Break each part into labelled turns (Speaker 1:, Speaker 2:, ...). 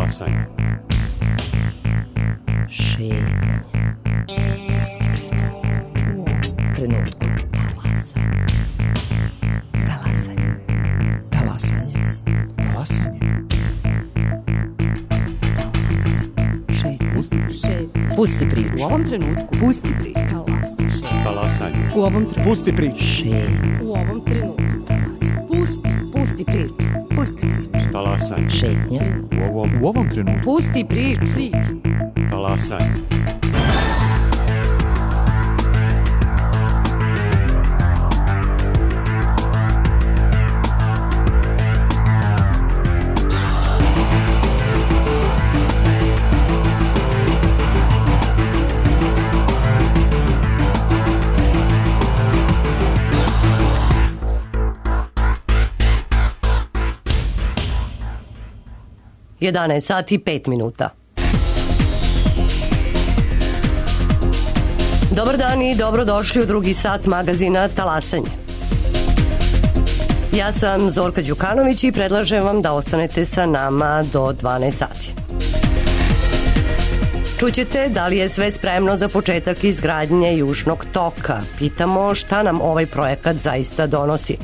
Speaker 1: Talasanje.
Speaker 2: Šetnje. Pusti priču. U ovom trenutku. Talasanje. Talasanje.
Speaker 3: Talasanje.
Speaker 2: Pusti priču.
Speaker 4: U ovom trenutku. Pusti priču.
Speaker 1: Talasanje.
Speaker 4: U ovom trenutku.
Speaker 3: Pusti priču.
Speaker 2: Šetnje.
Speaker 4: U ovom trenutku. Pusti priču. Pusti priču.
Speaker 1: Talasanje.
Speaker 2: Šetnje.
Speaker 3: U ovom trenutku.
Speaker 4: Pusti priču.
Speaker 1: Talasanje.
Speaker 5: Jedanaest sati i 5 minuta. Dobar dan i dobrodošli u drugi sat magazina Talasanje. Ja sam Zorka Đukanović i predlažem vam da ostanete sa nama do 12 sati. Čućete da li je sve spremno za početak izgradnje Južnog toka. Pitamo šta nam ovaj projekat zaista donosi.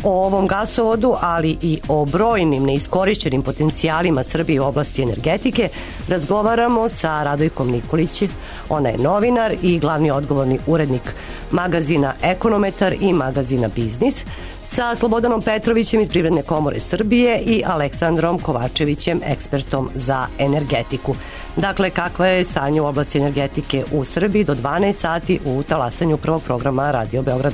Speaker 5: O ovom gasovodu, ali i o brojnim neiskorišćenim potencijalima Srbije u oblasti energetike razgovaramo sa Radojkom Nikolićem. Ona je novinar i glavni odgovorni urednik magazina Ekonometar i magazina Biznis, sa Slobodanom Petrovićem iz Privredne komore Srbije i Aleksandrom Kovačevićem, ekspertom za energetiku. Dakle, kakva je stanje u oblasti energetike u Srbiji do 12 sati u Talasanju prvog programa Radio Beograd.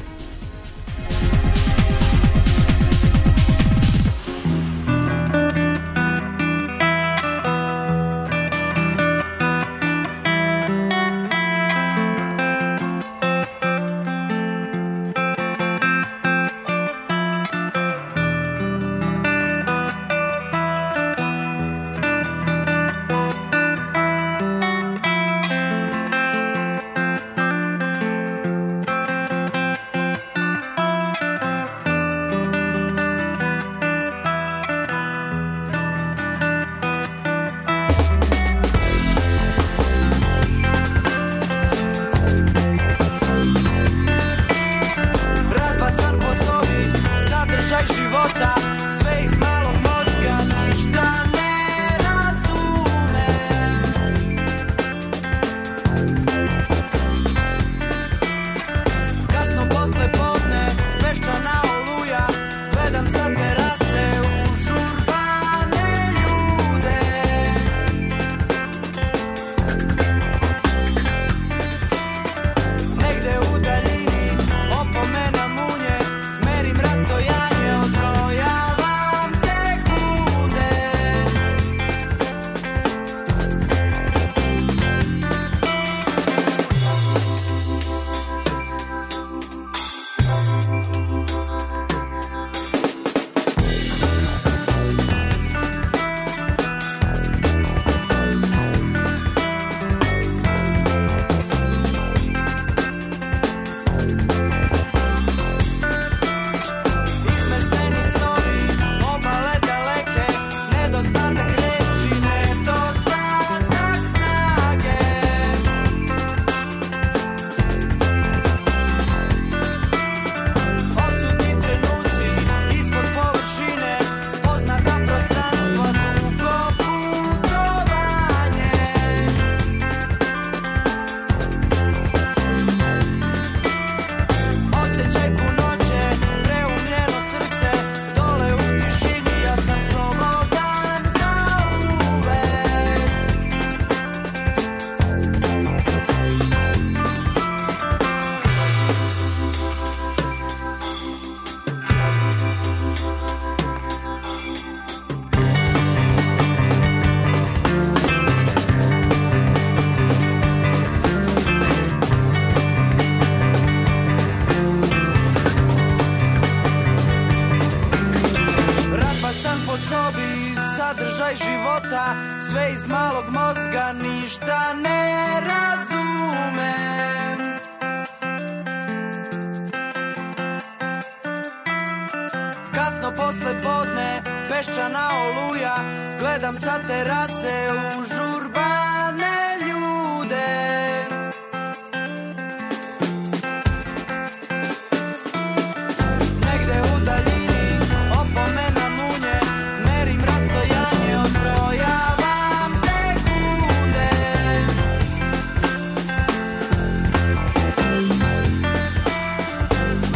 Speaker 6: sadržaj života, sve iz malog mozga, ništa ne razumem. Kasno posle podne, peščana oluja, gledam sa terase u žurbane ljude. Negde u daljini opomena munje, merim rastojanje, odbrojavam sekunde.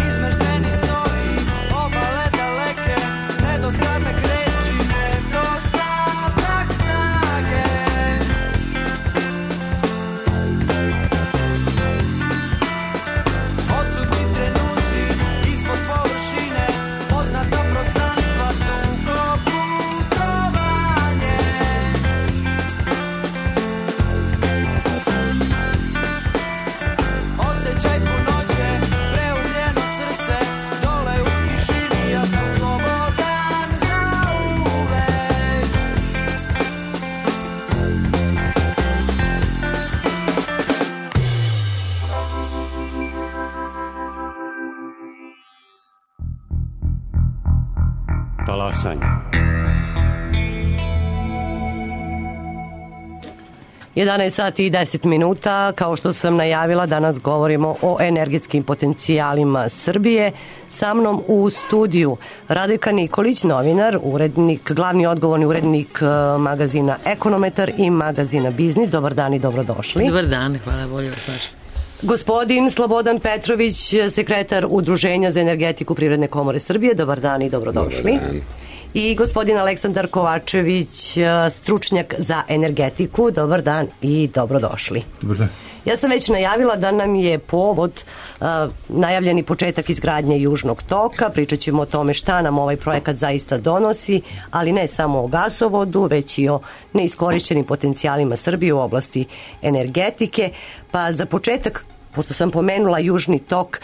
Speaker 6: Izmešteni snovi, obale daleke, nedostatak reči, nedostatak snage. Odsutni trenuci ispod površine, poznata prostranstva, dugo putovanje. Osjećaj punoće, preumljeno srce, dole u tišini, ja sam slobodan zauvek.
Speaker 1: Talasanje.
Speaker 5: 11 sati i 10 minuta, kao što sam najavila, danas govorimo o energetskim potencijalima Srbije. Sa mnom u studiju Radojka Nikolić, novinar, urednik, glavni odgovorni urednik magazina Ekonometar i magazina Biznis. Dobar dan i dobrodošli.
Speaker 2: Dobar dan, hvala, bolje vas vaš.
Speaker 5: Gospodin Slobodan Petrović, sekretar Udruženja za energetiku Privredne komore Srbije. Dobar dan i dobrodošli.
Speaker 7: Dobar dan.
Speaker 5: I gospodin Aleksandar Kovačević, stručnjak za energetiku. Dobar dan i dobrodošli.
Speaker 3: Dobar dan.
Speaker 5: Ja sam već najavila da nam je povod najavljeni početak izgradnje Južnog toka. Pričat ćemo o tome šta nam ovaj projekat zaista donosi, ali ne samo o gasovodu, već i o neiskorišćenim potencijalima Srbije u oblasti energetike. Pa za početak, pošto sam pomenula Južni tok,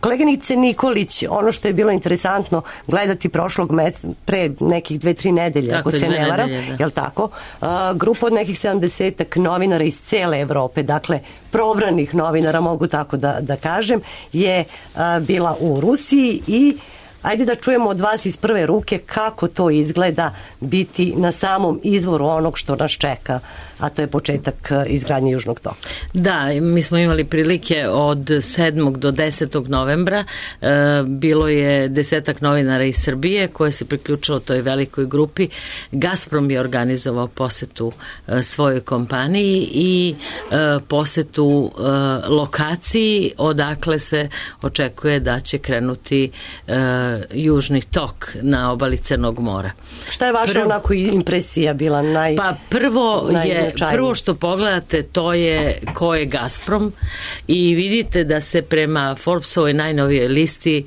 Speaker 5: koleginice Nikolić, ono što je bilo interesantno gledati prošlog meseca, pre nekih 2-3 nedelje,
Speaker 2: Tako,
Speaker 5: ako se ne varam, jel tako? Grupa od nekih 70 novinara iz cele Evrope, dakle probranih novinara, mogu tako da kažem, je bila u Rusiji i ajde da čujemo od vas iz prve ruke kako to izgleda biti na samom izvoru onog što nas čeka, a to je početak izgradnje Južnog toka.
Speaker 2: Da, mi smo imali prilike od 7. do 10. novembra. Bilo je 10 novinara iz Srbije koje se priključilo toj velikoj grupi. Gazprom je organizovao posetu svojoj kompaniji i posetu lokaciji odakle se očekuje da će krenuti Južni tok na obali Crnog mora.
Speaker 5: Šta je vaša onako impresija bila
Speaker 2: Pa prvo što pogledate to je ko je Gazprom i vidite da se prema Forbesovoj najnovijoj listi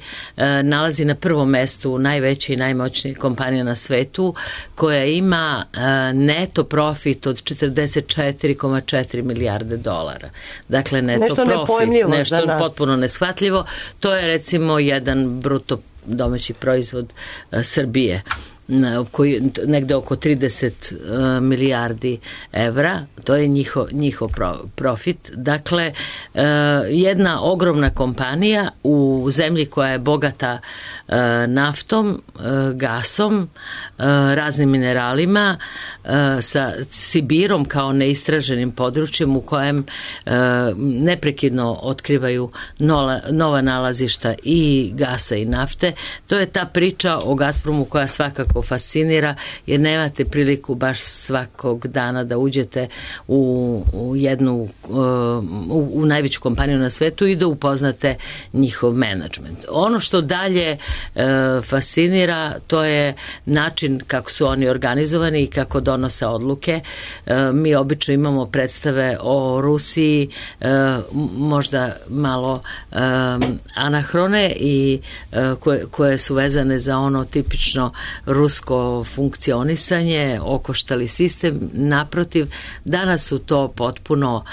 Speaker 2: nalazi na prvom mestu najveća i najmoćnija kompanija na svetu koja ima neto profit od 44,4 milijarde dolara. Dakle, neto
Speaker 5: nešto
Speaker 2: profit, nešto potpuno neshvatljivo. To je recimo jedan bruto domaći proizvod Srbije, koji negde oko 30 milijardi evra, to je njihov profit. Dakle, jedna ogromna kompanija u zemlji koja je bogata naftom, gasom, raznim mineralima, sa Sibirom kao neistraženim područjem u kojem neprekidno otkrivaju nova nalazišta i gasa i nafte. To je ta priča o Gazpromu koja svakako fascinira, jer nemate priliku baš svakog dana da uđete u jednu u najveću kompaniju na svetu i da upoznate njihov menadžment. Ono što dalje fascinira, to je način kako su oni organizovani i kako donose odluke. Mi obično imamo predstave o Rusiji možda malo anahrone i koje su vezane za ono tipično rusko rusko funkcionisanje, okoštali sistem. Naprotiv, danas su to potpuno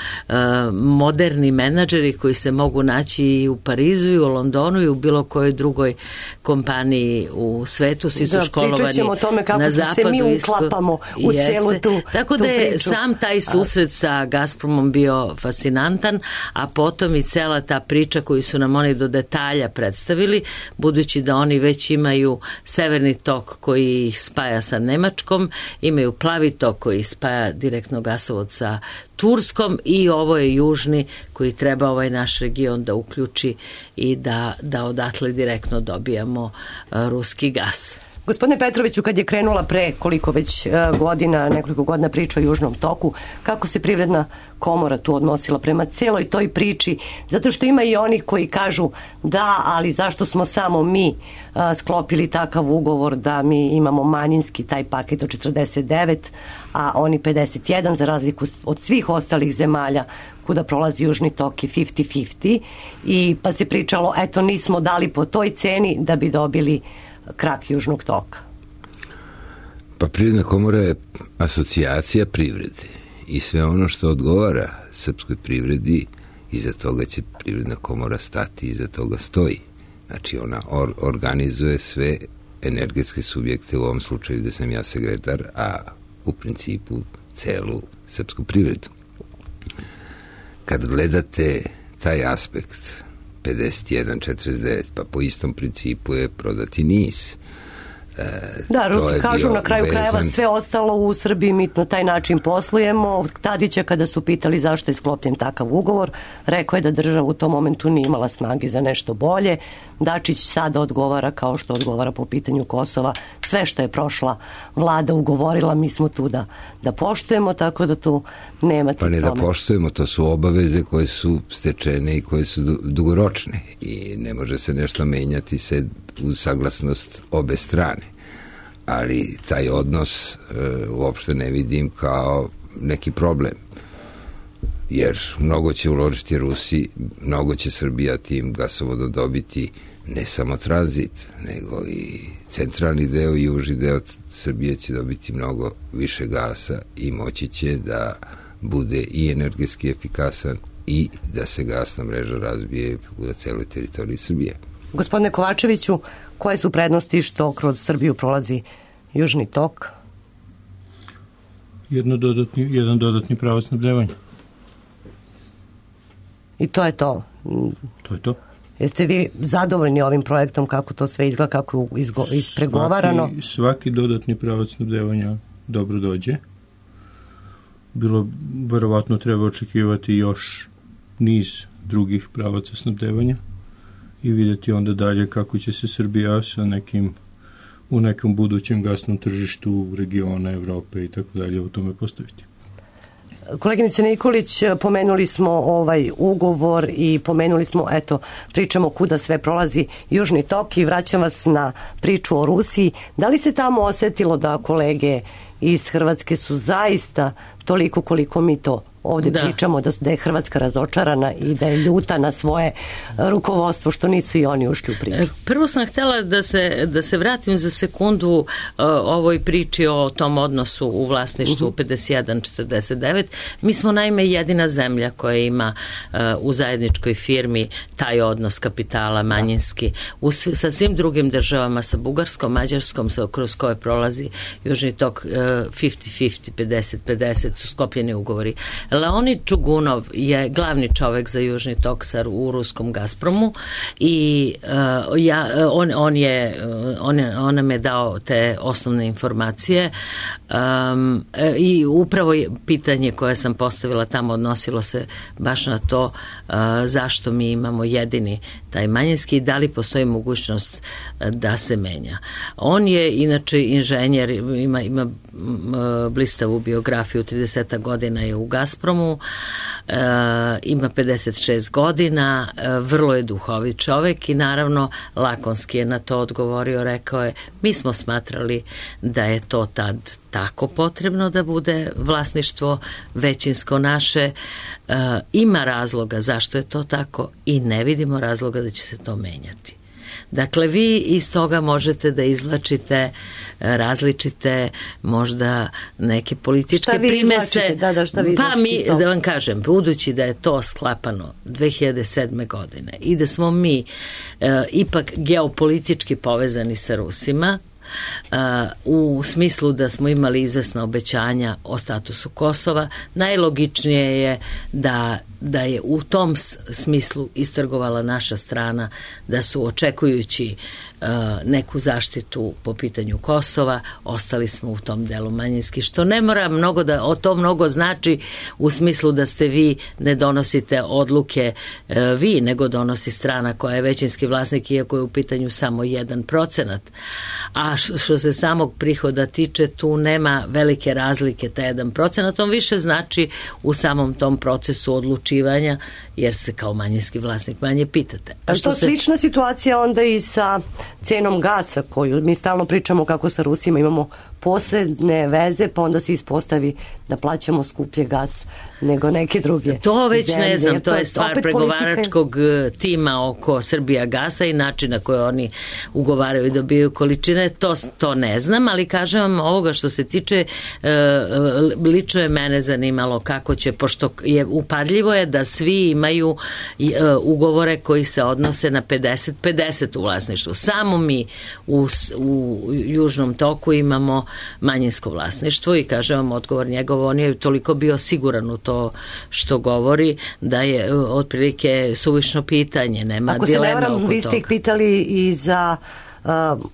Speaker 2: moderni menadžeri koji se mogu naći i u Parizu i u Londonu i u bilo kojoj drugoj kompaniji u svetu. Svi su školovani
Speaker 5: pričat ćemo o tome kako
Speaker 2: na
Speaker 5: se
Speaker 2: zapadu.
Speaker 5: mi uklapamo u celu tu
Speaker 2: Tako da je
Speaker 5: priču.
Speaker 2: sam taj susret sa Gazpromom bio fascinantan, a potom i cela ta priča koju su nam oni do detalja predstavili, budući da oni već imaju severni tok koji ih spaja sa Nemačkom, imaju plavi tok koji spaja direktno gasovod sa Turskom i ovo je južni koji treba ovaj naš region da uključi i da odatle direktno dobijamo ruski gas.
Speaker 5: Gospodine Petroviću, kad je krenula pre koliko već godina, nekoliko godina priča o Južnom toku, kako se Privredna komora tu odnosila prema celoj toj priči? Zato što ima i onih koji kažu da, ali zašto smo samo mi sklopili takav ugovor da mi imamo manjinski taj paket od 49, a oni 51, za razliku od svih ostalih zemalja kuda prolazi Južni tok i 50-50, i pa se pričalo, eto, nismo dali po toj ceni da bi dobili krak Južnog toka.
Speaker 7: Pa Privredna komora je asocijacija privrede i sve ono što odgovara srpskoj privredi, iza toga će Privredna komora stati, iza toga stoji. Znači ona organizuje sve energetske subjekte, u ovom slučaju da sam ja sekretar, a u principu celu srpsku privredu. Kad gledate taj aspekt 51-49, pa po istom principu je prodati NIS.
Speaker 5: Da, Rusi kažu na kraju krajeva sve ostalo u Srbiji, mi na taj način poslujemo. Tadića kada su pitali zašto je sklopljen takav ugovor, rekao je da država u tom momentu nije imala snage za nešto bolje. Dačić sada odgovara kao što odgovara po pitanju Kosova. Sve što je prošla vlada ugovorila, mi smo tu da poštujemo, tako da tu nema ti tome.
Speaker 7: Pa ne da poštujemo, to su obaveze koje su stečene i koje su dugoročne i ne može se nešto menjati se uz saglasnost obe strane. Ali taj odnos uopšte ne vidim kao neki problem. Jer mnogo će uložiti Rusi, mnogo će Srbija tim gasovodom dobiti ne samo tranzit, nego i centralni deo i južni deo Srbije će dobiti mnogo više gasa i moći će da bude i energetski efikasan i da se gasna mreža razbije na celoj teritoriji Srbije.
Speaker 5: Gospodine Kovačeviću, koje su prednosti što kroz Srbiju prolazi Južni tok?
Speaker 8: Jedan dodatni pravac snabdevanja.
Speaker 5: I to je to?
Speaker 8: To je to.
Speaker 5: Jeste vi zadovoljni ovim projektom, kako to sve izgleda, kako je ispregovarano?
Speaker 8: Svaki dodatni pravac snabdevanja dobro dođe. Verovatno treba očekivati još niz drugih pravaca snabdevanja i vidjeti onda dalje kako će se Srbija u nekom budućem gasnom tržištu regiona, Evrope i tako dalje u tome postaviti.
Speaker 5: Koleginice Nikolić, pomenuli smo ovaj ugovor i pomenuli smo, pričamo kuda sve prolazi Južni tok i vraćam vas na priču o Rusiji. Da li se tamo osetilo da kolege iz Hrvatske su zaista toliko koliko mi to ovdje pričamo, da je Hrvatska razočarana i da je ljuta na svoje rukovodstvo što nisu i oni ušli u priču?
Speaker 2: Prvo sam htjela da se vratim za sekundu ovoj priči o tom odnosu u vlasništvu 51-49. Mi smo naime jedina zemlja koja ima u zajedničkoj firmi taj odnos kapitala manjinski. Sa svim drugim državama, sa Bugarskom, Mađarskom, kroz koje prolazi Južni tok 50-50, 50-50 su sklopljeni ugovori. Leonid Čugunov je glavni čovek za Južni tok u ruskom Gazpromu i on nam je dao te osnovne informacije i upravo pitanje koje sam postavila tamo odnosilo se baš na to zašto mi imamo jedini taj manjinski i da li postoji mogućnost da se menja. On je inače inženjer, ima blistavu biografiju, 30 godina je u Gazpromu, ima 56 godina, vrlo je duhovit čovek i naravno lakonski je na to odgovorio, rekao je, mi smo smatrali da je to tad tako potrebno da bude vlasništvo većinsko naše, ima razloga zašto je to tako i ne vidimo razloga da će se to menjati. Dakle, vi iz toga možete da izvlačite različite možda neke političke primese. Pa mi, da vam kažem, budući da je to sklapano 2007. godine i da smo mi ipak geopolitički povezani sa Rusima, u smislu da smo imali izvesna obećanja o statusu Kosova, najlogičnije je da je u tom smislu istrgovala naša strana, da su očekujući neku zaštitu po pitanju Kosova, ostali smo u tom delu manjinski, što ne mora mnogo to mnogo znači u smislu da ste vi ne donosite odluke vi, nego donosi strana koja je većinski vlasnik, iako je u pitanju samo 1%. A što se samog prihoda tiče, tu nema velike razlike, ta 1%, to više znači u samom tom procesu odlučivanja, jer se kao manjinski vlasnik manje pitate.
Speaker 5: A što slična situacija onda i sa cenom gasa, koju mi stalno pričamo kako sa Rusima imamo posebne veze, pa onda se ispostavi da plaćamo skuplje gas nego neke druge.
Speaker 2: To već
Speaker 5: zemlje.
Speaker 2: Ne znam, to je stvar pregovaračkog tima oko Srbija gasa i načina koje oni ugovaraju i dobiju količine, to ne znam, ali kažem vam ovoga što se tiče, lično je mene zanimalo kako će, pošto je upadljivo je da svi imaju ugovore koji se odnose na 50-50 u vlasništvu. Samo mi u Južnom toku imamo manjinsko vlasništvo i kažem vam odgovor njegov, on je toliko bio siguran u to što govori da je otprilike suvišno pitanje, nema dileme oko toga. Ako se ne varam,
Speaker 5: vi ste ih pitali i za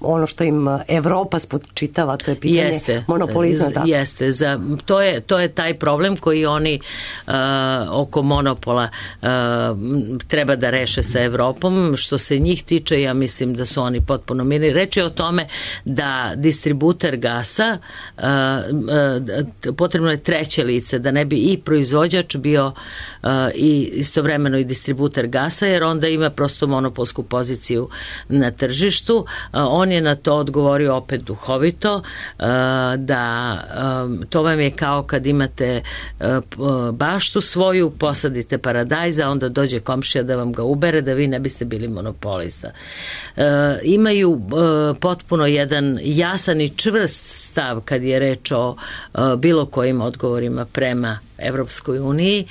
Speaker 5: ono što im Evropa spočitava, to je pitanje monopolizma.
Speaker 2: Jeste, to je taj problem koji oni oko monopola treba da reše sa Evropom. Što se njih tiče, ja mislim da su oni potpuno mirni. Reč je o tome da distributer gasa, potrebno je treće lice, da ne bi i proizvođač bio i istovremeno i distributer gasa, jer onda ima prosto monopolsku poziciju na tržištu. On je na to odgovorio opet duhovito, da to vam je kao kad imate baštu svoju, posadite paradajz, a onda dođe komšija da vam ga ubere, da vi ne biste bili monopolista. Imaju potpuno jedan jasan i čvrst stav kad je reč o bilo kojim odgovorima prema Evropskoj uniji,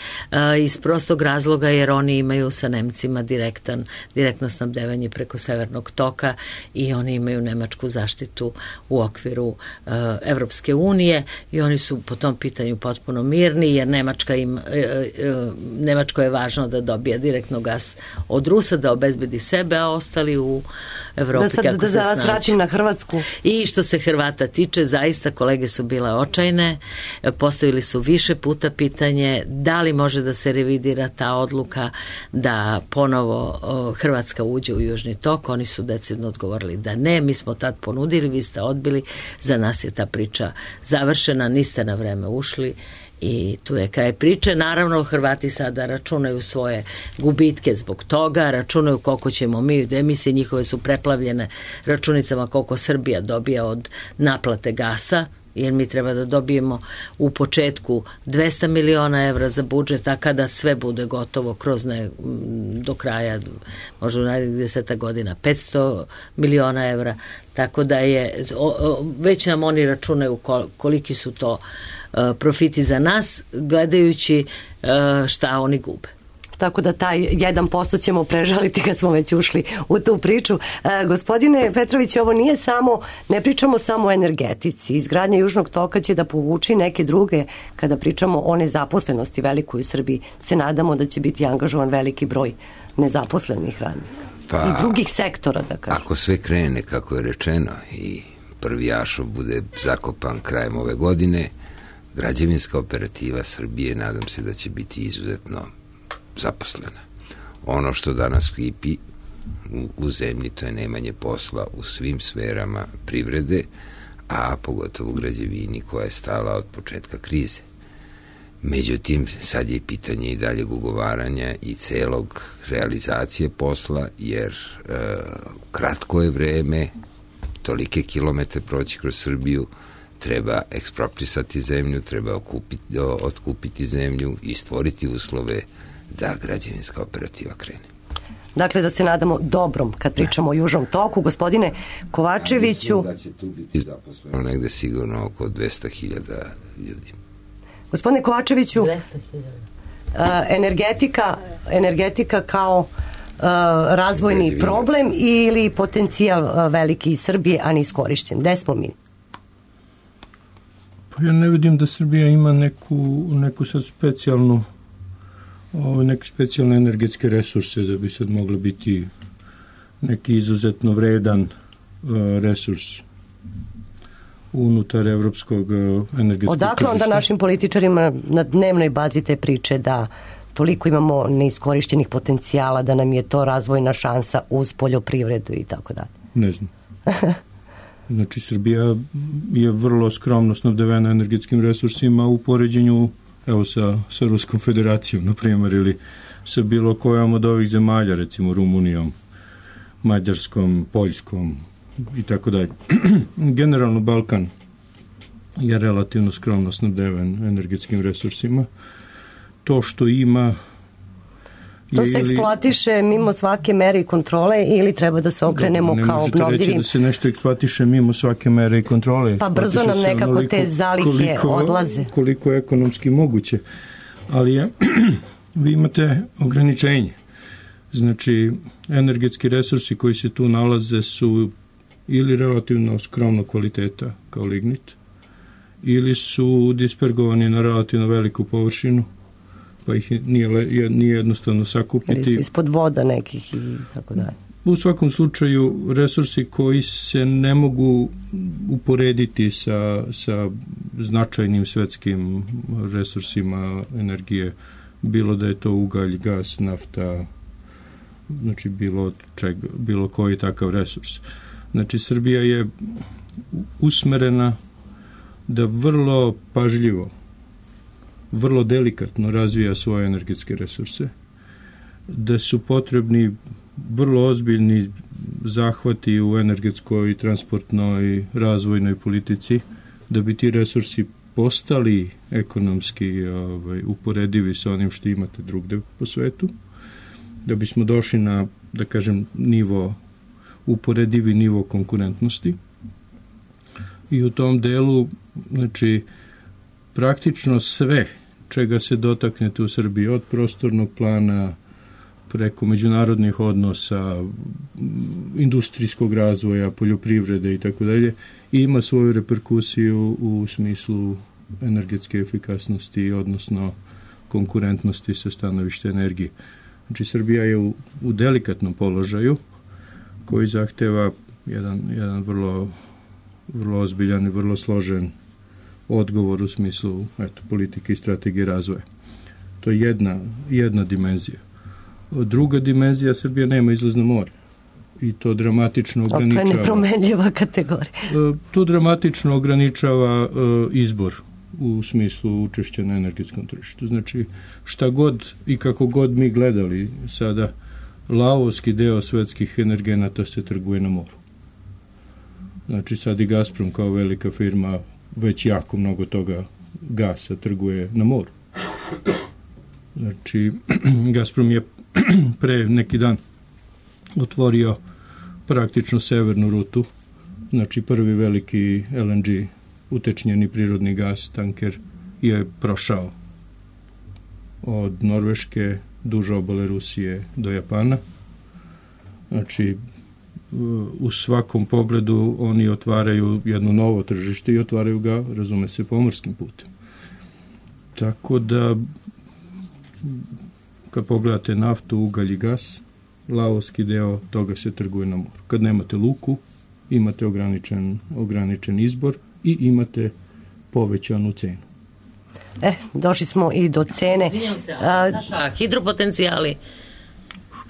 Speaker 2: iz prostog razloga jer oni imaju sa Nemcima direktno snabdevanje preko Severnog toka i oni imaju nemačku zaštitu u okviru Evropske unije i oni su po tom pitanju potpuno mirni, jer Nemačko je važno da dobija direktno gas od Rusa, da obezbedi sebe, a ostali u Evropi kako se snađu. Da
Speaker 5: vratim na Hrvatsku.
Speaker 2: I što se Hrvata tiče, zaista kolege su bile očajne, postavili su više puta pitanje da li može da se revidira ta odluka da ponovo Hrvatska uđe u Južni tok. Oni su decidno odgovorili da ne, mi smo tad ponudili, vi ste odbili, za nas je ta priča završena, niste na vreme ušli i tu je kraj priče. Naravno, Hrvati sada računaju svoje gubitke zbog toga, računaju koliko ćemo mi, emisije njihove su preplavljene računicama koliko Srbija dobija od naplate gasa, jer mi treba da dobijemo u početku 200 miliona evra za budžet, a kada sve bude gotovo do kraja, možda u narednih 10 godina, 500 miliona evra, tako da je, već nam oni računaju koliki su to profiti za nas, gledajući šta oni gube.
Speaker 5: Tako da taj 1% ćemo prežaliti kad smo već ušli u tu priču. Gospodine Petrović, ovo nije samo, ne pričamo samo o energetici. Izgradnja Južnog toka će da povuči neke druge, kada pričamo o nezaposlenosti velikoj u Srbiji. Se nadamo da će biti angažovan veliki broj nezaposlenih radnika. I drugih sektora, da kažem.
Speaker 7: Ako sve krene, kako je rečeno, i prvi jašov bude zakopan krajem ove godine, građevinska operativa Srbije, nadam se da će biti izuzetno zaposlena. Ono što danas kipi u zemlji, to je nemanje posla u svim sferama privrede, a pogotovo u građevini koja je stala od početka krize. Međutim, sad je pitanje i daljeg ugovaranja i celog realizacije posla, jer kratko je vreme, tolike kilometre proći kroz Srbiju, treba eksproprisati zemlju, treba otkupiti zemlju i stvoriti uslove da građevinska operativa krene.
Speaker 5: Dakle, da se nadamo dobrom kad pričamo o Južnom toku. Gospodine Kovačeviću...
Speaker 7: Ja mislim da će tu biti zaposleno negde sigurno oko 200.000 ljudi.
Speaker 5: Gospodine Kovačeviću,
Speaker 2: 200.000.
Speaker 5: Energetika kao razvojni problem ili potencijal veliki iz Srbije, a neiskorišćen. Gde smo mi?
Speaker 8: Pa ja ne vidim da Srbija ima neku sad neke specijalne energetske resurse da bi sad mogli biti neki izuzetno vredan resurs unutar evropskog energetskog
Speaker 5: Odakle onda našim političarima na dnevnoj bazi te priče da toliko imamo neiskorišćenih potencijala, da nam je to razvojna šansa uz poljoprivredu i tako dalje?
Speaker 8: Ne znam. Znači, Srbija je vrlo skromno snabdevena energetskim resursima u poređenju sa Ruskom federacijom, na primjer, ili sa bilo kojom od ovih zemalja, recimo Rumunijom, Mađarskom, Poljskom i tako dalje. Generalno, Balkan je relativno skromno snabdeven energetskim resursima. To što ima...
Speaker 5: To se eksploatiše mimo svake mere i kontrole ili treba da se okrenemo kao obnovljivim?
Speaker 8: Ne možete reći da se nešto eksploatiše mimo svake mere i kontrole.
Speaker 5: Pa brzo nam nekako te zalihe odlaze.
Speaker 8: Koliko je ekonomski moguće. Ali vi imate ograničenje. Znači, energetski resursi koji se tu nalaze su ili relativno skromno kvaliteta, kao lignit, ili su dispergovani na relativno veliku površinu, pa ih nije jednostavno sakupiti.
Speaker 5: Ili su ispod voda nekih i tako dalje.
Speaker 8: U svakom slučaju, resursi koji se ne mogu uporediti sa značajnim svetskim resursima energije, bilo da je to ugalj, gas, nafta, znači bilo koji takav resurs. Znači, Srbija je usmerena da vrlo pažljivo, vrlo delikatno razvija svoje energetske resurse, da su potrebni vrlo ozbiljni zahvati u energetskoj, transportnoj, razvojnoj politici, da bi ti resursi postali ekonomski uporedivi sa onim što imate drugde po svetu, da bismo došli na, da kažem, uporedivi nivo konkurentnosti. I u tom delu, znači, praktično sve čega se dotaknete u Srbiji, od prostornog plana preko međunarodnih odnosa, industrijskog razvoja, poljoprivrede i tako dalje, ima svoju reperkusiju u smislu energetske efikasnosti, odnosno konkurentnosti sa stanovišta energije. Znači, Srbija je u delikatnom položaju koji zahteva jedan vrlo ozbiljan i vrlo složen odgovor u smislu politike i strategije razvoja. To je jedna dimenzija. Druga dimenzija, Srbija nema izlaz na more. I to dramatično ograničava...
Speaker 5: To je nepromenljiva kategorija.
Speaker 8: To dramatično ograničava izbor u smislu učešća na energetskom tržištu. Znači, šta god i kako god mi gledali sada, lavovski deo svetskih energenata se trguje na moru. Znači, sad i Gazprom kao velika firma već jako mnogo toga gasa trguje na moru. Znači, Gazprom je pre neki dan otvorio praktično severnu rutu, znači prvi veliki LNG utečnjeni prirodni gas tanker je prošao od Norveške duž obale Rusije do Japana. Znači, u svakom pogledu oni otvaraju jedno novo tržište i otvaraju ga, razume se, pomorskim putem. Tako da, kad pogledate naftu, ugalj i gas, lavovski deo toga se trguje na moru. Kad nemate luku, imate ograničen izbor i imate povećanu cenu.
Speaker 5: Došli smo i do cene.
Speaker 2: Izvinjam se, Saša, hidropotencijali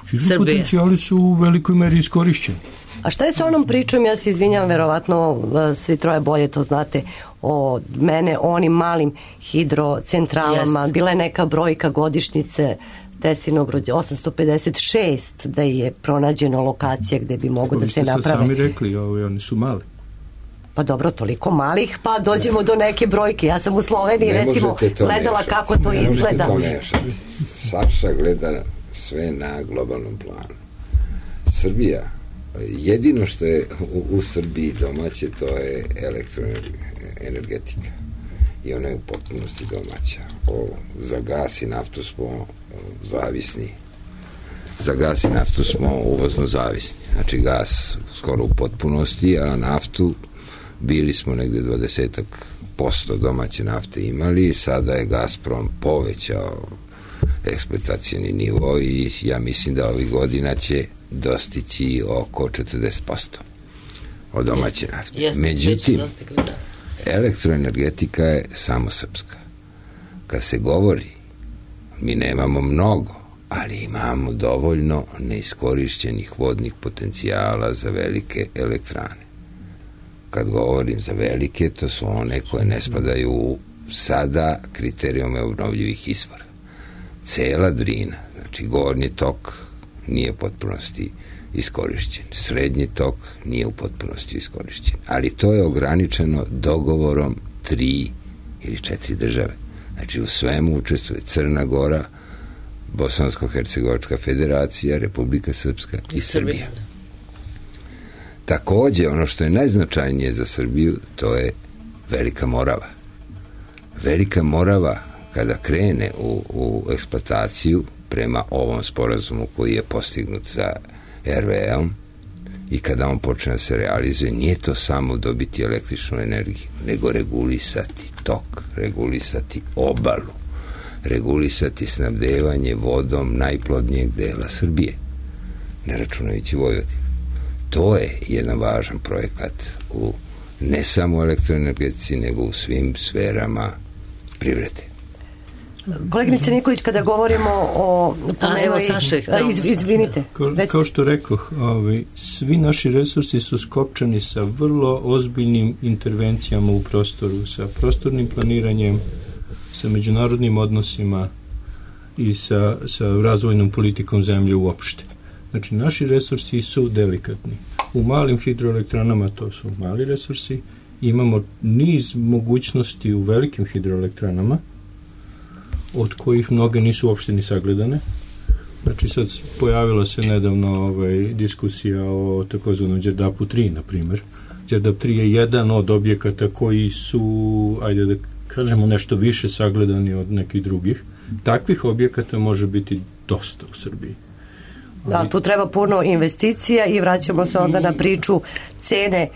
Speaker 2: Srbije.
Speaker 8: Hidropotencijali su u velikoj meri iskorišćeni.
Speaker 5: A šta je sa onom pričom, ja se izvinjam, verovatno svi troje bolje to znate od mene, o onim malim hidrocentralama? Bila je neka brojka godišnjice Tesinog rođenja, 856, da je pronađeno lokacija gde bi mogo da se naprave.
Speaker 8: Sami rekli, oni su mali.
Speaker 5: Pa dobro, toliko malih, pa dođemo do neke brojke. Ja sam u Sloveniji, recimo, gledala kako to izgleda.
Speaker 7: Saša gleda sve na globalnom planu. Srbija, jedino što je u Srbiji domaće, to je elektroenergetika. I ona je u potpunosti domaća. Za gas i naftu smo zavisni. Za gas i naftu smo uvozno zavisni. Znači gas skoro u potpunosti, a naftu bili smo negde 20% domaće nafte imali i sada je Gazprom povećao eksploatacijni nivo i ja mislim da ovih godina će dostići oko 40% od domaće nafte. Međutim, elektroenergetika je samo srpska. Kad se govori, mi nemamo mnogo, ali imamo dovoljno neiskorišćenih vodnih potencijala za velike elektrane. Kad govorim za velike, to su one koje ne spadaju u sada kriterijume obnovljivih izvora. Cela Drina, znači gornji tok nije u potpunosti iskorišćen. Srednji tok nije u potpunosti iskorišćen. Ali to je ograničeno dogovorom 3 ili 4 države. Znači u svemu učestvuje Crna Gora, Bosansko-Hercegovačka federacija, Republika Srpska i Srbija. Takođe, ono što je najznačajnije za Srbiju, to je Velika Morava. Velika Morava, kada krene u eksploataciju prema ovom sporazumu koji je postignut za RWE-om i kada on počne da se realizuje, nije to samo dobiti električnu energiju, nego regulisati tok, regulisati obalu, regulisati snabdevanje vodom najplodnijeg dela Srbije, ne računajući Vojvodinu. To je jedan važan projekat u ne samo u elektroenergetici, nego u svim sferama privrede.
Speaker 5: Koleginice Nikolić, kada govorimo o...
Speaker 2: Evo Saša,
Speaker 5: izvinite.
Speaker 8: Kao što rekoh, svi naši resursi su skopčani sa vrlo ozbiljnim intervencijama u prostoru, sa prostornim planiranjem, sa međunarodnim odnosima i sa razvojnom politikom zemlje uopšte. Znači, naši resursi su delikatni. U malim hidroelektranama to su mali resursi. Imamo niz mogućnosti u velikim hidroelektranama, od kojih mnoge nisu uopšte ni sagledane. Znači, sad pojavila se nedavno diskusija o takozvanom Đerdapu 3, na primjer. Đerdap 3 je jedan od objekata koji su, ajde da kažemo, nešto više sagledani od nekih drugih. Takvih objekata može biti dosta u Srbiji.
Speaker 5: Da, tu treba puno investicija i vraćamo se onda na priču cene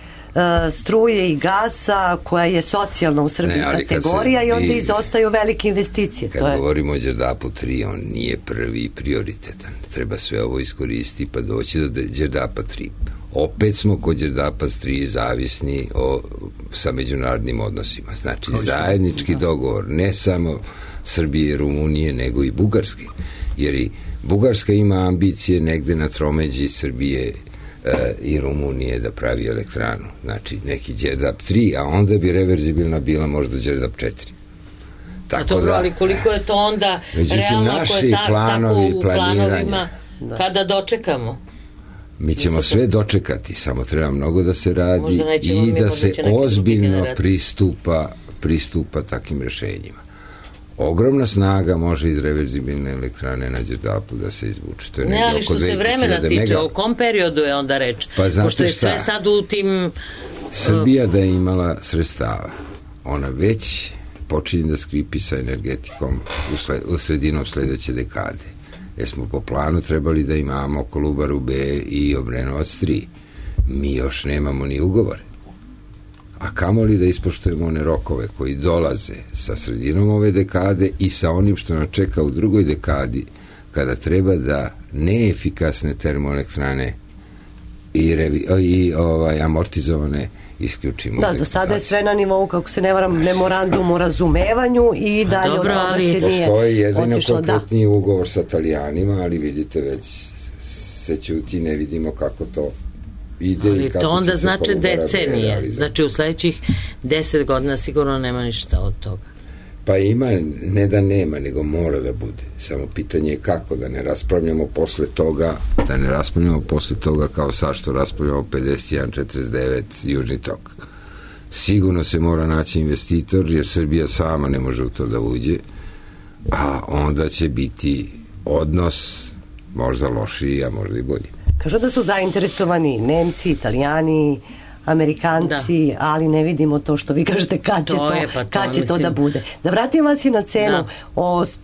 Speaker 5: struje i gasa koja je socijalna u Srbiji kategorija i onda izostaju velike investicije.
Speaker 7: Kad govorimo o Đerdapu 3, on nije prvi prioritetan. Treba sve ovo iskoristiti pa doći do Đerdapa 3. Opet smo kod Đerdapa 3 zavisni sa međunarodnim odnosima. Znači zajednički dogovor ne samo Srbije i Rumunije, nego i Bugarske. Jer i Bugarska ima ambicije negde na tromeđi Srbije i Rumunije da pravi elektranu. Znači, neki Đerdap 3, a onda bi reverzibilna bila možda Đerdap 4.
Speaker 2: Tako dobro, ali koliko je to onda realno ako je tako u planovima kada dočekamo?
Speaker 7: Mi ćemo sve dočekati, samo treba mnogo da se radi i da se ozbiljno pristupa takim rešenjima. Ogromna snaga može iz reverzibilne elektrane na Đerdapu da se izvuče. To je
Speaker 2: ne, ali što se vremena tiče, o kom periodu je onda reč?
Speaker 7: Pa
Speaker 2: pošto je sve sad u tim...
Speaker 7: Srbija da je imala sredstava, ona već počinje da skripi sa energetikom u sredinom sledeće dekade. Jer smo po planu trebali da imamo Kolubaru B i Obrenovac 3. Mi još nemamo ni ugovore. A kamoli da ispoštujemo one rokove koji dolaze sa sredinom ove dekade i sa onim što nam čeka u drugoj dekadi, kada treba da neefikasne termoelektrane i amortizovane isključimo.
Speaker 5: Da, za sada je sve na nivou, kako se ne varam, memorandum o razumevanju i dalje od toga se nije otišlo.
Speaker 7: Postoji jedino konkretni ugovor sa Italijanima, ali vidite već se ćuti, ne vidimo kako to ide. Ali
Speaker 2: to onda znači decenije. Znači u sledećih 10 godina sigurno nema ništa od toga.
Speaker 7: Pa ima, ne da nema, nego mora da bude. Samo pitanje je kako, da ne raspravljamo posle toga kao sad što raspravljamo 51-49 Južni tok. Sigurno se mora naći investitor, jer Srbija sama ne može u to da uđe, a onda će biti odnos možda lošiji, a možda i bolji.
Speaker 5: Kažu da su zainteresovani Nemci, Italijani, Amerikanci, ali ne vidimo to što vi kažete kad će to da bude. Da vratim vas i na cenu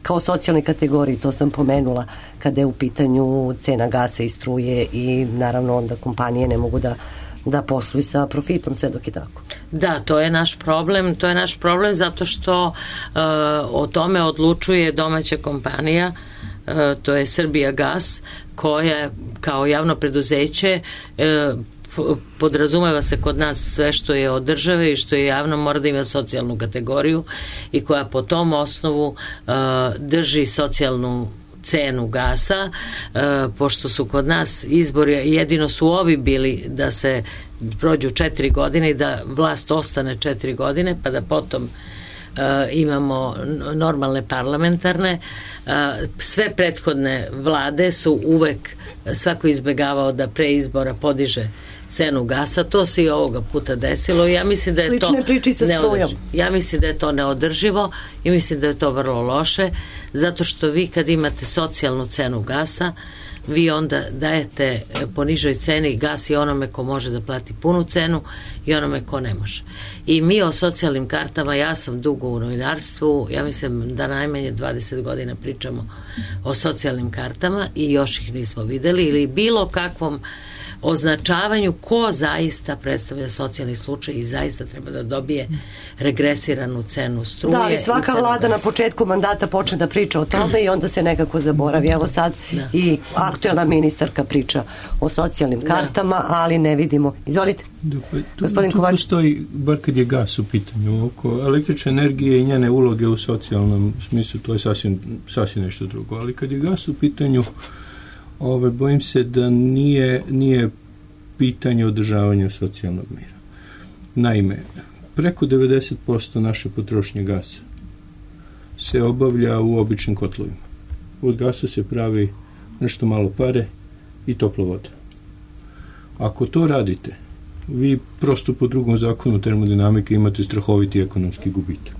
Speaker 5: kao socijalnoj kategoriji, to sam pomenula, kada je u pitanju cena gasa i struje i naravno onda kompanije ne mogu da posluju sa profitom sve dok je tako.
Speaker 2: Da, to je naš problem zato što o tome odlučuje domaća kompanija, to je Srbijagas, koja kao javno preduzeće podrazumeva se kod nas sve što je od države i što je javno mora da ima socijalnu kategoriju i koja po tom osnovu drži socijalnu cenu gasa, pošto su kod nas izbori, jedino su ovi bili da se prođu 4 godine i da vlast ostane 4 godine, pa da potom imamo normalne parlamentarne. Sve prethodne vlade su uvek svako izbegavao da pre izbora podiže cenu gasa. To se i ovoga puta desilo i ja mislim da je to neodrživo. Ja mislim da je to neodrživo i mislim da je to vrlo loše, zato što vi kad imate socijalnu cenu gasa, vi onda dajete po nižoj ceni gas i onome ko može da plati punu cenu i onome ko ne može. I mi o socijalnim kartama, ja sam dugo u novinarstvu, ja mislim da najmanje 20 godina pričamo o socijalnim kartama i još ih nismo videli ili bilo kakvom označavanju ko zaista predstavlja socijalni slučaj i zaista treba da dobije regresiranu cenu struje.
Speaker 5: Da, ali svaka vlada na početku mandata počne da priča o tome i onda se nekako zaboravi. Evo sad i aktuelna ministarka priča o socijalnim kartama, ali ne vidimo. Izvolite. Gospodin Kovač. Tu
Speaker 8: postoji, bar kad je gas u pitanju, oko električne energije i njene uloge u socijalnom smislu, to je sasvim nešto drugo. Ali kad je gas u pitanju, bojim se da nije pitanje održavanja socijalnog mira. Naime, preko 90% naše potrošnje gasa se obavlja u običnim kotlovima. Od gasa se pravi nešto malo pare i topla voda. Ako to radite, vi prosto po drugom zakonu termodinamike imate strahoviti ekonomski gubitak.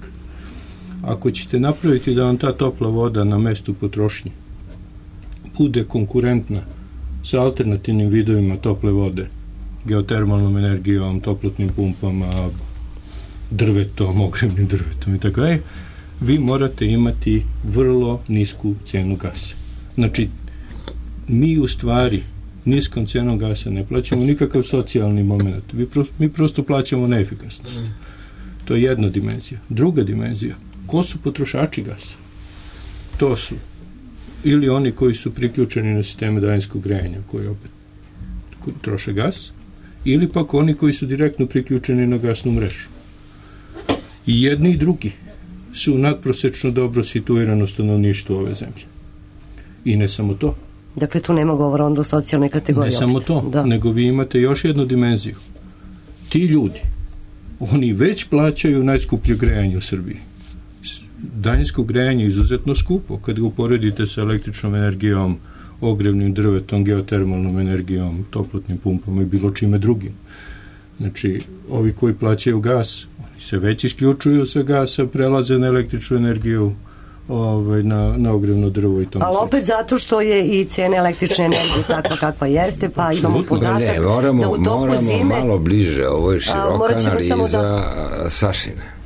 Speaker 8: Ako ćete napraviti da vam ta topla voda na mestu potrošnje bude konkurentna sa alternativnim vidovima tople vode, geotermalnom energijom, toplotnim pumpama, drvetom, ogrevnim drvetom i tako dalje, vi morate imati vrlo nisku cenu gasa. Znači, mi u stvari niskom cenom gasa ne plaćamo nikakav socijalni moment. Mi prosto plaćamo neefikasnost. To je jedna dimenzija. Druga dimenzija, ko su potrošači gasa? To su ili oni koji su priključeni na sisteme daljinskog grejanja koji opet troše gas, ili pak oni koji su direktno priključeni na gasnu mrežu. I jedni i drugi su nadprosečno dobro situirano stanovništvo ove zemlje. I ne samo to.
Speaker 5: Dakle, tu nema govora onda o socijalnoj kategoriji.
Speaker 8: Ne samo to, nego vi imate još jednu dimenziju. Ti ljudi, oni već plaćaju najskuplje grejanje u Srbiji. Daljinsko grejanje je izuzetno skupo kad ga uporedite sa električnom energijom, ogrevnim drvetom, geotermalnom energijom, toplotnim pumpama i bilo čime drugim. Znači, ovi koji plaćaju gas, oni se već isključuju sa gasa, prelaze na električnu energiju, na ogrevno drvo i tome.
Speaker 5: Ali opet zato što je i cena električne energije takva kakva jeste, pa imamo podatak da u toku zime...
Speaker 7: Moramo malo bliže, ovo je široka analiza Sašina.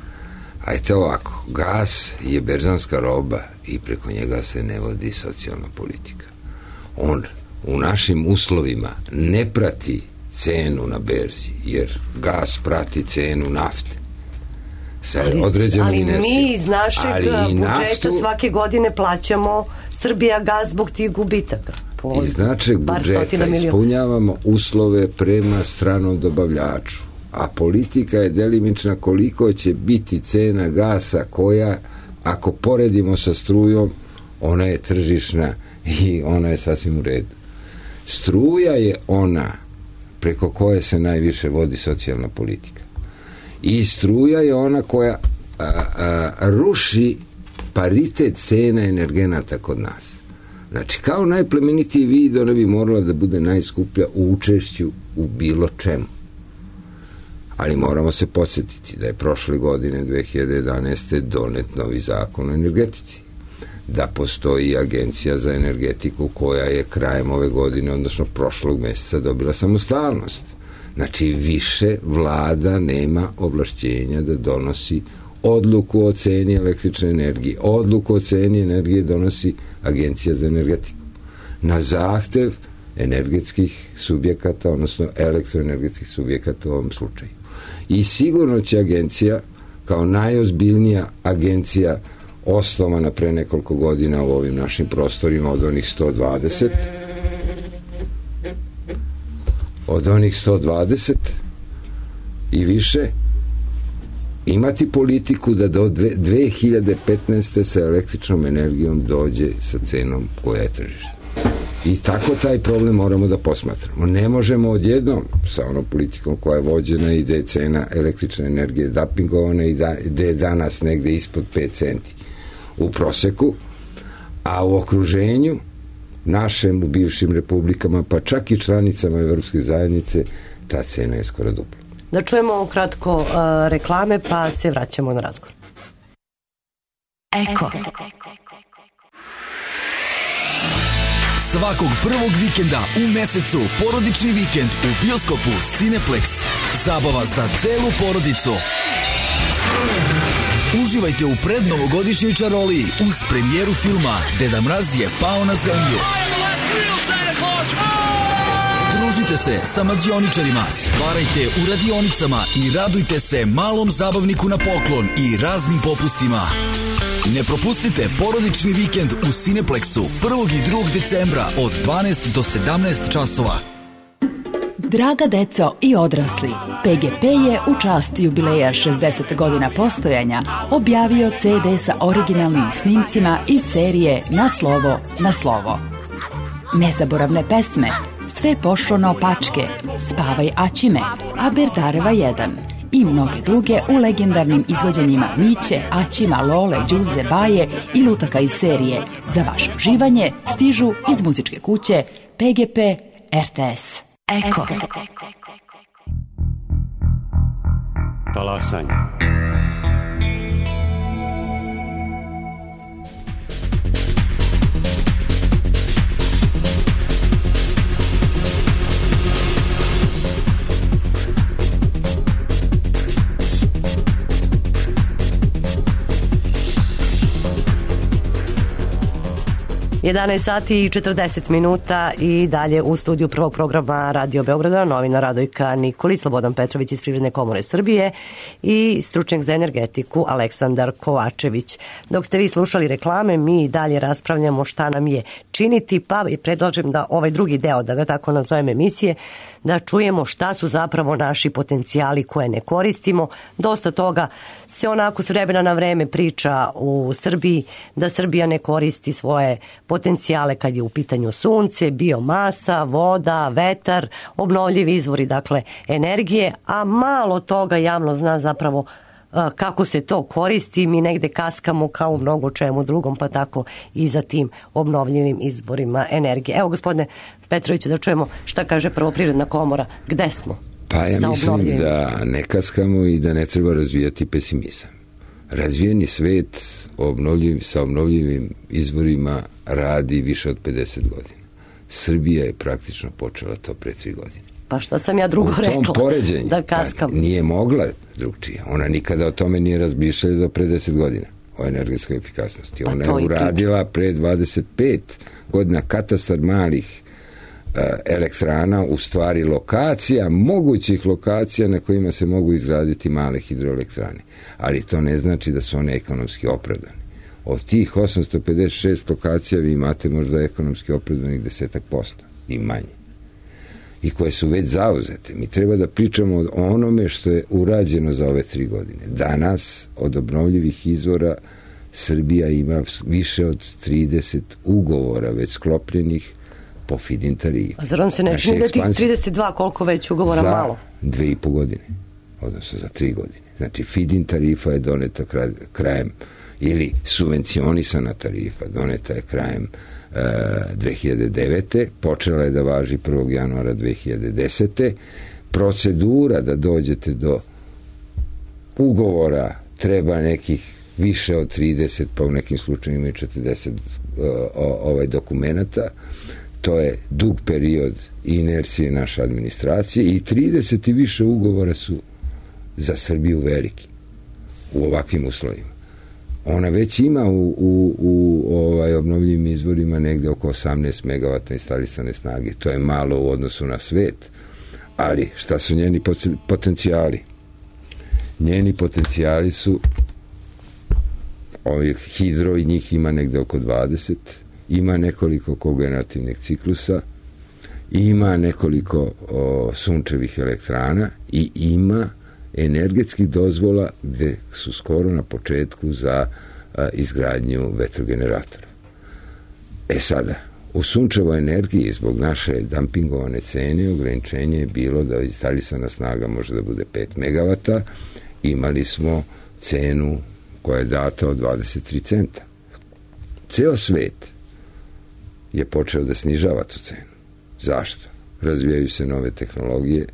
Speaker 7: Ajte ovako, gas je berzanska roba i preko njega se ne vodi socijalna politika. On u našim uslovima ne prati cenu na berzi, jer gas prati cenu nafte.
Speaker 5: Ali mi iz našeg budžeta svake godine plaćamo Srbijagas zbog tih gubitaka.
Speaker 7: Iz našeg budžeta ispunjavamo uslove prema stranom dobavljaču, a politika je delimična koliko će biti cena gasa koja, ako poredimo sa strujom, ona je tržišna i ona je sasvim u redu. Struja je ona preko koje se najviše vodi socijalna politika. I struja je ona koja ruši paritet cena energenata kod nas. Znači, kao najplemenitiji vid, ona bi morala da bude najskuplja u učešću u bilo čemu. Ali moramo se podsjetiti da je prošle godine, 2011. donet novi zakon o energetici. da postoji Agencija za energetiku koja je krajem ove godine, odnosno prošlog meseca, dobila samostalnost. Znači, više vlada nema ovlašćenja da donosi odluku o ceni električne energije. Odluku o ceni energije donosi Agencija za energetiku. Na zahtev energetskih subjekata, odnosno elektroenergetskih subjekata u ovom slučaju. I sigurno će agencija, kao najozbiljnija agencija osnovana pre nekoliko godina u ovim našim prostorima od onih 120 i više, imati politiku da do 2015. sa električnom energijom dođe sa cenom koja je tržišna. I tako taj problem moramo da posmatramo. Ne možemo odjednom sa onom politikom koja je vođena i da je cena električne energije dapingovana i da je danas negde ispod 5 centi u proseku, a u okruženju našem, u bivšim republikama, pa čak i članicama Evropske zajednice, ta cena je skoro dupla.
Speaker 5: Da čujemo kratko reklame, pa se vraćamo na razgovor.
Speaker 9: Eko. Svakog prvog vikenda u mesecu porodični vikend u bioskopu Cineplex. Zabava za celu porodicu. Uživajte u prednovogodišnjoj čaroliji uz premijeru filma Deda Mraz je pao na zemlju. Družite se sa mađioničarima, stvarajte u radionicama i radujte se malom zabavniku na poklon i raznim popustima. Ne propustite porodični vikend u Cineplexu 1. i 2. decembra od 12 do 17 časova.
Speaker 10: Draga deco i odrasli, PGP je u čast jubileja 60 godina postojanja objavio CD sa originalnim snimcima iz serije Na slovo, na slovo. Nezaboravne pesme, Sve pošlo naopačke, Spavaj Aćime, A Berdareva 1 i mnoge druge u legendarnim izvođenjima Miće, Aćima, Lole, Đuze, Baje i lutaka iz serije. Za vaše uživanje stižu iz muzičke kuće PGP RTS. Eko.
Speaker 1: Talasanje.
Speaker 5: Jedanaest sati i 40 minuta i dalje u studiju prvog programa Radio Beograda novina Radojka Nikolić, Slobodan Petrović iz Privredne komore Srbije i stručnjak za energetiku Aleksandar Kovačević. Dok ste vi slušali reklame, mi dalje raspravljamo šta nam je činiti, pa predlažem da ovaj drugi deo, da ga tako nazovem emisije, da čujemo šta su zapravo naši potencijali koje ne koristimo. Dosta toga se onako s vremena na vreme priča u Srbiji, da Srbija ne koristi svoje potencijale kad je u pitanju sunce, biomasa, voda, vetar, obnovljivi izvori, dakle energije, a malo toga javno zna zapravo kako se to koristi. Mi negde kaskamo kao u mnogo čemu drugom, pa tako i za tim obnovljivim izvorima energije. Evo, gospodine Petroviću, da čujemo šta kaže prvo Privredna komora. Gde smo?
Speaker 7: Pa ja mislim da ne kaskamo i da ne treba razvijati pesimizam. Razvijeni svet sa obnovljivim izvorima radi više od 50 godina. Srbija je praktično počela to pre 3 godine.
Speaker 5: Pa šta sam ja drugo rekla? U tom poređenju da kaskam.
Speaker 7: Nije mogla drugčije. Ona nikada o tome nije razmišljala do pre 10 godina o energetskoj efikasnosti. Ona je uradila pre 25 godina katastar malih elektrana, u stvari lokacija, mogućih lokacija na kojima se mogu izgraditi male hidroelektrane. Ali to ne znači da su one ekonomski opravdane. Od tih 856 lokacija vi imate možda ekonomski opravdanih 10% i manje. I koje su već zauzete. Mi treba da pričamo o onome što je urađeno za ove 3 godine. Danas od obnovljivih izvora Srbija ima više od 30 ugovora već sklopljenih po feed-in tarifi.
Speaker 5: A zar vam se ne čini da tih 32 koliko već ugovora malo?
Speaker 7: Za 2,5 godine, odnosno za 3 godine. Znači feed-in tarifa je doneta krajem, ili subvencionisana tarifa doneta je krajem 2009. Počela je da važi 1. januara 2010. Procedura da dođete do ugovora treba nekih više od 30, pa u nekim slučajima i 40 dokumenata. To je dug period inercije naše administracije i 30 i više ugovora su za Srbiju veliki u ovakvim uslovima. Ona već ima u obnovljivim izvorima negde oko 18 megavata instalisane snage. To je malo u odnosu na svet, ali šta su njeni potencijali? Njeni potencijali su hidro i njih ima negde oko 20, ima nekoliko kogenerativnih ciklusa, ima nekoliko sunčevih elektrana i ima energetskih dozvola gde su skoro na početku za izgradnju vetrogeneratora. Sada, u sunčevoj energiji zbog naše dampingovane cene ograničenje je bilo da instalisana snaga može da bude 5 megavata. Imali smo cenu koja je data od 23 centa. Ceo svet je počeo da snižava tu cenu. Zašto? Razvijaju se nove tehnologije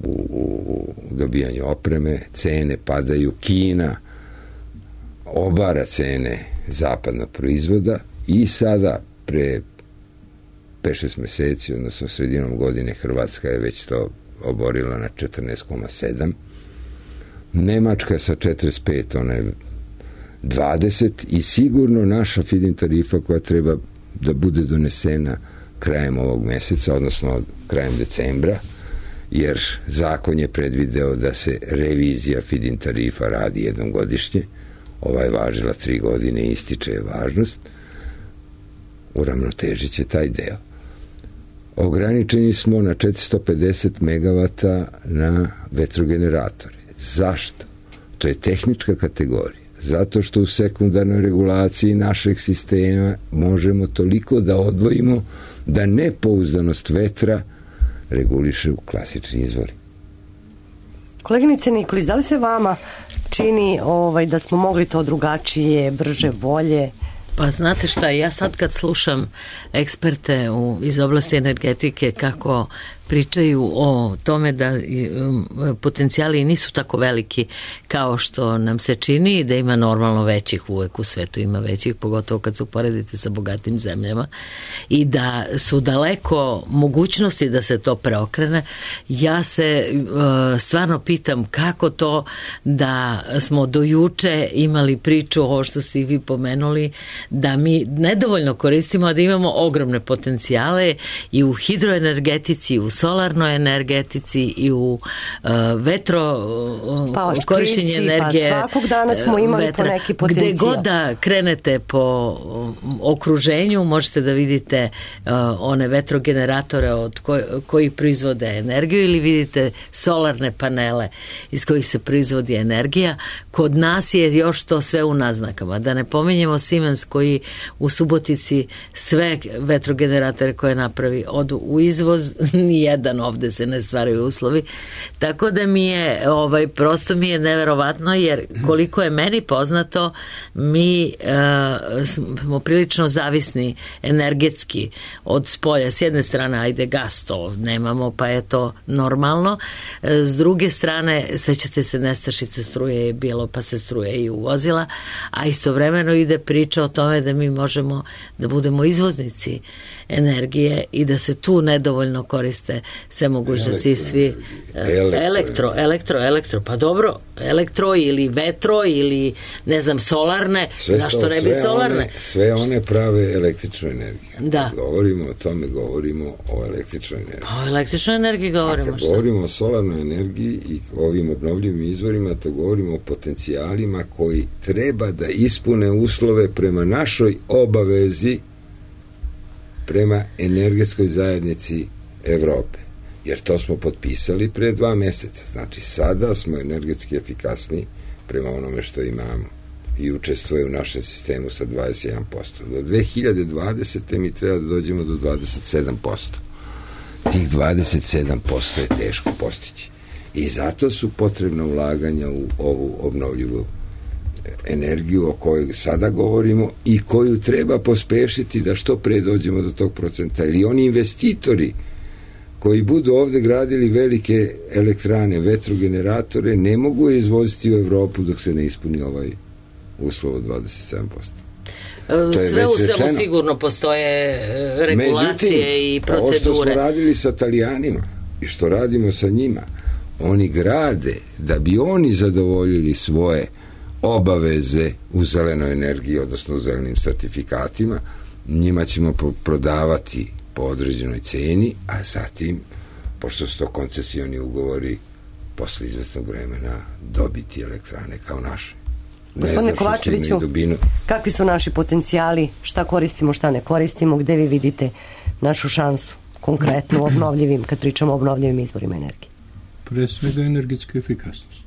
Speaker 7: u dobijanju opreme, cene padaju, Kina obara cene zapadnog proizvoda i sada pre 5-6 meseci, odnosno sredinom godine, Hrvatska je već to oborila na 14,7. Nemačka sa 45, ona je 20 i sigurno naša feed-in tarifa koja treba da bude donesena krajem ovog meseca, odnosno krajem decembra, jer zakon je predvideo da se revizija feed-in tarifa radi jednom godišnje. Ova je važila 3 godine i ističe je važnost. Uravnotežit će taj deo. Ograničeni smo na 450 megavata na vetrogeneratore. Zašto? To je tehnička kategorija. Zato što u sekundarnoj regulaciji našeg sistema možemo toliko da odvojimo da nepouzdanost vetra reguliše u klasični izvori.
Speaker 5: Koleginice Nikolić, da li se vama čini da smo mogli to drugačije, brže, bolje?
Speaker 2: Pa znate šta, ja sad kad slušam eksperte iz oblasti energetike kako pričaju o tome da potencijali nisu tako veliki kao što nam se čini, da ima normalno većih, uvek u svetu ima većih, pogotovo kad se uporedite sa bogatim zemljama, i da su daleko mogućnosti da se to preokrene. Ja se stvarno pitam kako to da smo do juče imali priču, ovo što ste vi pomenuli, da mi nedovoljno koristimo, a da imamo ogromne potencijale i u hidroenergetici, i u solarnoj energetici, i u korišćenje energije.
Speaker 5: Pa svakog dana smo imali vetra, po neki potencijal.
Speaker 2: Gde god da krenete po okruženju, možete da vidite one vetrogeneratore od koji proizvode energiju, ili vidite solarne panele iz kojih se proizvodi energija. Kod nas je još to sve u naznakama. Da ne pominjemo Siemens koji u Subotici sve vetrogeneratore koje napravi odu u izvoz, nijedan ovde se ne stvaraju uslovi. Tako da mi je, prosto mi je neverovatno, jer koliko je meni poznato, mi smo prilično zavisni energetski od spolja. S jedne strane, ajde, gas to nemamo, pa je to normalno. S druge strane, sećate se, nestašice struje je bilo, pa se struje i uvozila, a istovremeno ide priča o tome da mi možemo da budemo izvoznici energije i da se tu nedovoljno koriste sve mogućnosti, svi elektro, pa dobro, elektro ili vetro ili ne znam, solarne, zašto ne bi solarne?
Speaker 7: Sve one prave električnu energiju.
Speaker 2: Da.
Speaker 7: Kad govorimo o tome, govorimo o električnoj energiji.
Speaker 2: Pa o električnoj energiji govorimo.
Speaker 7: A kad govorimo o solarnoj energiji i ovim obnovljivim izvorima, to govorimo o potencijalima koji treba da ispune uslove prema našoj obavezi prema energetskoj zajednici Evrope. Jer to smo potpisali pre 2 meseca. Znači, sada smo energetski efikasni prema onome što imamo i učestvuje u našem sistemu sa 21%. Do 2020. mi treba da dođemo do 27%. Tih 27% je teško postići. I zato su potrebna ulaganja u ovu obnovljivu energiju o kojoj sada govorimo i koju treba pospešiti da što pre dođemo do tog procenta. Ili oni investitori koji budu ovde gradili velike elektrane, vetrogeneratore, ne mogu je izvoziti u Evropu dok se ne ispuni uslovu 27%.
Speaker 2: Sve u svemu sigurno postoje regulacije i procedure.
Speaker 7: Ovo što smo radili sa Italijanima i što radimo sa njima, oni grade da bi oni zadovoljili svoje obaveze u zelenoj energiji, odnosno u zelenim sertifikatima, njima ćemo prodavati po određenoj ceni, a zatim, pošto su to koncesioni ugovori, posle izvesnog vremena dobiti elektrane kao naše.
Speaker 5: Gospodine Kovačeviću, kakvi su naši potencijali, šta koristimo, šta ne koristimo, gde vi vidite našu šansu konkretno obnovljivim, kad pričamo o obnovljivim izvorima energije?
Speaker 8: Pre svega energetska efikasnost.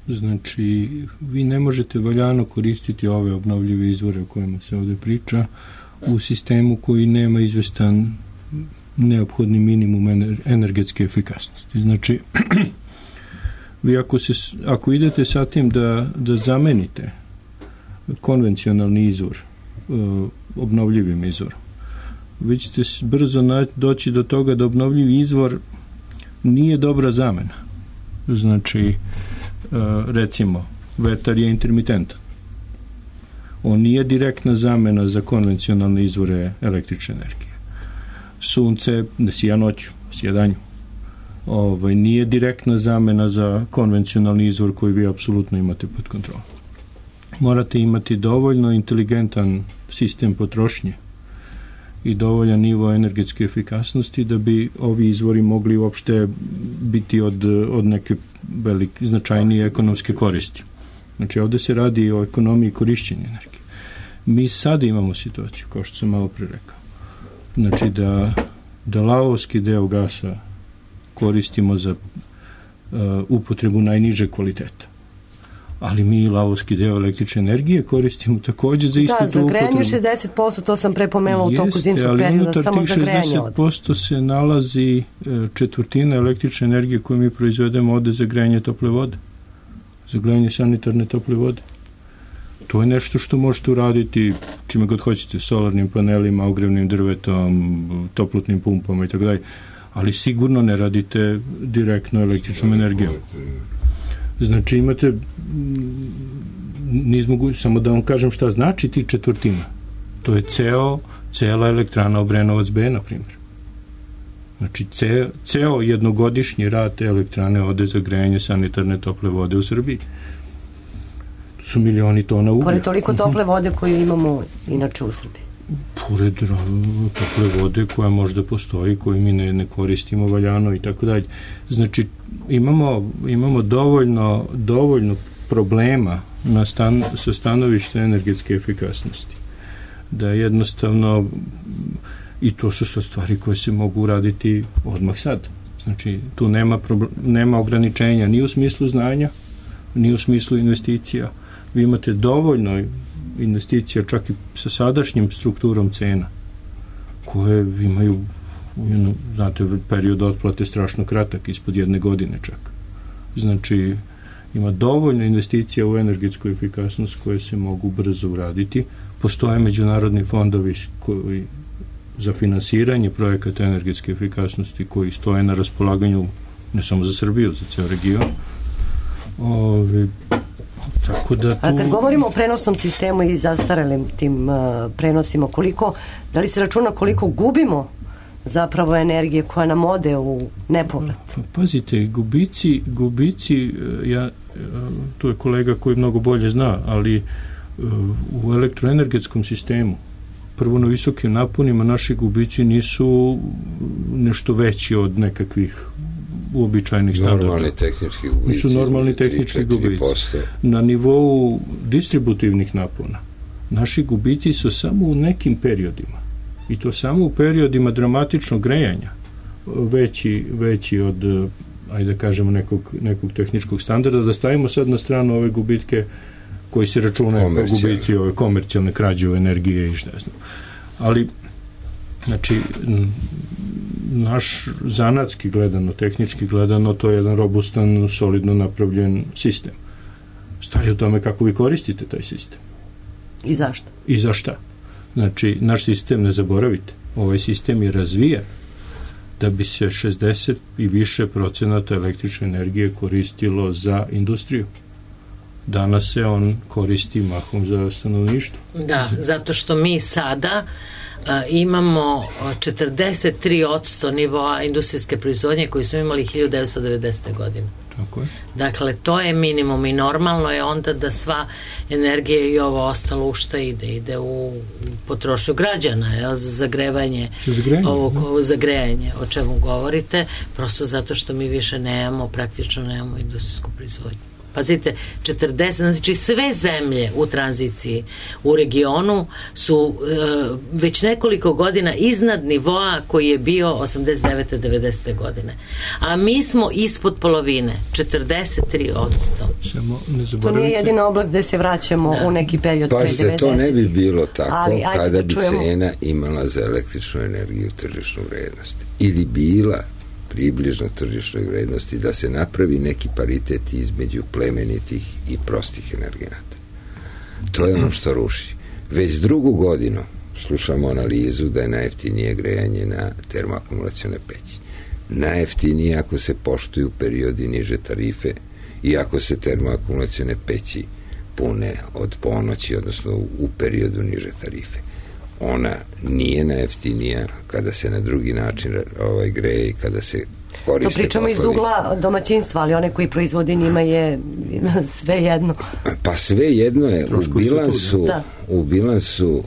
Speaker 8: Znači, vi ne možete valjano koristiti ove obnovljive izvore o kojima se ovde priča u sistemu koji nema izvestan neophodni minimum energetske efikasnosti. Znači, vi ako idete sa tim da zamenite konvencionalni izvor obnovljivim izvorom, vi ćete brzo doći do toga da obnovljivi izvor nije dobra zamena. Znači, recimo, vetar je intermitentan. On nije direktna zamena za konvencionalne izvore električne energije. Sunce ne sija noću, sija danju. Nije direktna zamena za konvencionalni izvor koji vi apsolutno imate pod kontrolom. Morate imati dovoljno inteligentan sistem potrošnje i dovoljan nivo energetske efikasnosti da bi ovi izvori mogli uopšte biti od neke značajnije ekonomske koristi. Znači, ovde se radi o ekonomiji korišćenja energije. Mi sada imamo situaciju, kao što sam malo pre rekao, znači da lavovski deo gasa koristimo za upotrebu najniže kvaliteta. Ali mi lavovski deo električne energije koristimo takođe za istu tu upotrebu.
Speaker 5: Da, za grejanje 60%, to sam prepomenula u toku zimskog perioda, samo za grejanje ode.
Speaker 8: 60% se nalazi četvrtina električne energije koju mi proizvedemo ode za grejanje tople vode, za grejanje sanitarne tople vode. To je nešto što možete uraditi čime god hoćete, solarnim panelima, ogrevnim drvetom, toplotnim pumpama i tako dalje, ali sigurno ne radite direktno električnom energijom. Znači imate samo da vam kažem šta znači ti četvrtina. To je cela elektrana Obrenovac B, na primjer. Znači ceo jednogodišnji rad te elektrane ode za grejanje sanitarne tople vode u Srbiji. To su milioni tona uglja.
Speaker 5: Pored toliko tople vode koju imamo inače u Srbiji.
Speaker 8: Pored tople vode koja možda postoji, koju mi ne koristimo valjano i tako dalje. Znači, imamo dovoljno problema sa stanovišta energetske efikasnosti. Da jednostavno, i to su stvari koje se mogu uraditi odmah sad. Znači, tu nema ograničenja ni u smislu znanja, ni u smislu investicija. Vi imate dovoljno investicija čak i sa sadašnjim strukturom cena koje imaju, znate, period otplate strašno kratak, ispod 1 godine čak. Znači, ima dovoljno investicija u energetsku efikasnost koje se mogu brzo uraditi. Postoje međunarodni fondovi koji za finansiranje projekata energetske efikasnosti koji stoje na raspolaganju ne samo za Srbiju, za ceo region. Tako da tu... A
Speaker 5: kad govorimo o prenosnom sistemu i zastarelim tim prenosima, da li se računa koliko gubimo zapravo energije koja nam ode u nepovrat?
Speaker 8: Pazite, gubici to je kolega koji mnogo bolje zna, ali u elektroenergetskom sistemu prvo na visokim naponima naši gubici nisu nešto veći od nekakvih uobičajenih standarda. Normalni tehnički gubici. Na nivou distributivnih napona naši gubici su samo u nekim periodima, i to samo u periodima dramatičnog grejanja veći od, ajde da kažemo, nekog tehničkog standarda. Da stavimo sad na stranu ove gubitke koji se računaju kao gubici, ove komercijalne krađe u energije i šta znam. Ali, znači, naš zanatski gledano, tehnički gledano, to je jedan robustan, solidno napravljen sistem. Stvar je u tome kako vi koristite taj sistem.
Speaker 5: I zašto?
Speaker 8: I za šta? Znači, naš sistem, ne zaboravite, ovaj sistem je razvijen da bi se 60 i više procenata električne energije koristilo za industriju. danas se on koristi mahom za stanovništvo.
Speaker 2: Da, zato što mi sada imamo 43% nivoa industrijske proizvodnje koju smo imali 1990. godine.
Speaker 8: Tako je.
Speaker 2: Dakle, to je minimum i normalno je onda da sva energija i ovo ostalo u šta ide u potrošnju građana, za zagrevanje, za grejanje, o čemu govorite, prosto zato što mi više praktično nemamo industrijsku proizvodnju. Pazite, 40, znači sve zemlje u tranziciji u regionu su već nekoliko godina iznad nivoa koji je bio 89. 90. godine. A mi smo ispod polovine, 43%.
Speaker 5: To nije jedina oblast gde se vraćamo u neki period pre 90.
Speaker 7: Pazite, to ne bi bilo tako kada bi cena imala za električnu energiju tržišnu vrednost. Ili bila približno tržišnoj vrednosti, da se napravi neki paritet između plemenitih i prostih energenata. To je ono što ruši. Već drugu godinu slušamo analizu da je najjeftinije grejanje na termoakumulacione peći. Najjeftinije ako se poštuju periodi niže tarife i ako se termoakumulacione peći pune od ponoći, odnosno u periodu niže tarife. Ona nije najjeftinija kada se na drugi način greje i kada se koriste.
Speaker 5: To pričamo iz ugla domaćinstva, ali one koji proizvode njima je sve jedno.
Speaker 7: Pa sve jedno je. U bilansu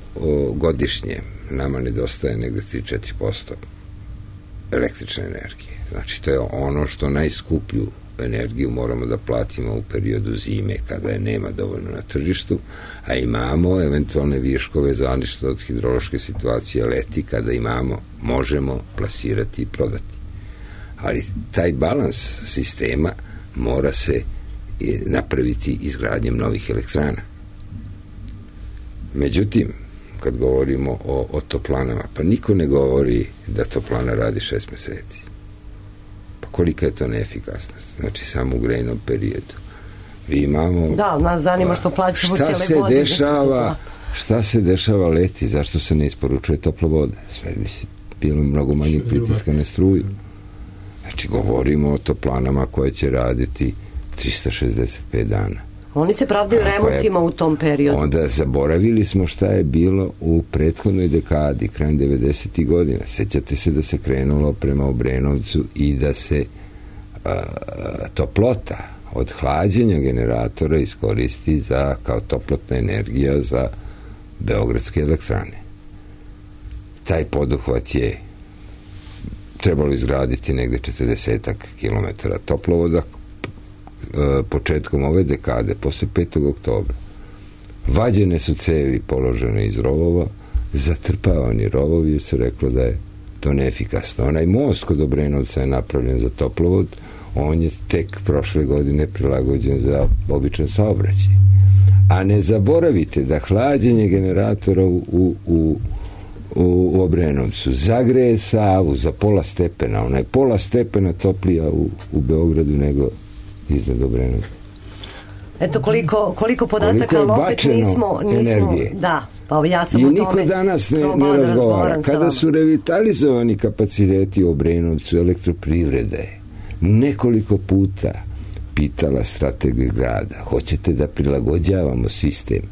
Speaker 7: godišnje nama nedostaje negde 3-4% električne energije. Znači, to je ono što najskuplju energiju moramo da platimo u periodu zime kada je nema dovoljno na tržištu, a imamo eventualne viškove zavisno od hidrološke situacije leti kada možemo plasirati i prodati. Ali taj balans sistema mora se napraviti izgradnjem novih elektrana. Međutim, kad govorimo o toplanama, pa niko ne govori da toplana radi 6 meseci. Kolika je to neefikasnost? Znači, samo u grejnom periodu. Vi imamo...
Speaker 5: Da, nas zanima što plaćamo cijele godine.
Speaker 7: Šta se dešava leti? Zašto se ne isporučuje topla voda? Sve bi se bilo mnogo manjeg pritiska na struju. Znači, govorimo o toplanama koje će raditi 365 dana.
Speaker 5: Oni se pravdaju remontima u tom periodu.
Speaker 7: Onda zaboravili smo šta je bilo u prethodnoj dekadi, krajem 90. godina. Sećate se da se krenulo prema Obrenovcu i da se toplota od hlađenja generatora iskoristi kao toplotna energija za beogradske elektrane. Taj poduhvat je trebalo izgraditi negde 40 kilometara toplovoda početkom ove dekade, posle 5. oktobra. Vađene su cevi položene iz rovova, zatrpavani rovovi, jer se reklo da je to neefikasno. Onaj most kod Obrenovca je napravljen za toplovod, on je tek prošle godine prilagođen za običan saobraćaj. A ne zaboravite da hlađenje generatora u Obrenovcu zagreje Savu za pola stepena. Ona je pola stepena toplija u Beogradu nego iznad Obrenovca.
Speaker 5: Eto koliko podataka, ali opet nismo
Speaker 7: energije.
Speaker 5: Da, pa ja sam
Speaker 7: i
Speaker 5: o
Speaker 7: niko
Speaker 5: tome
Speaker 7: danas ne razgovara. Kada su revitalizovani kapaciteti u Obrenovcu, elektroprivreda je nekoliko puta pitala strategiju grada, hoćete da prilagođavamo sistem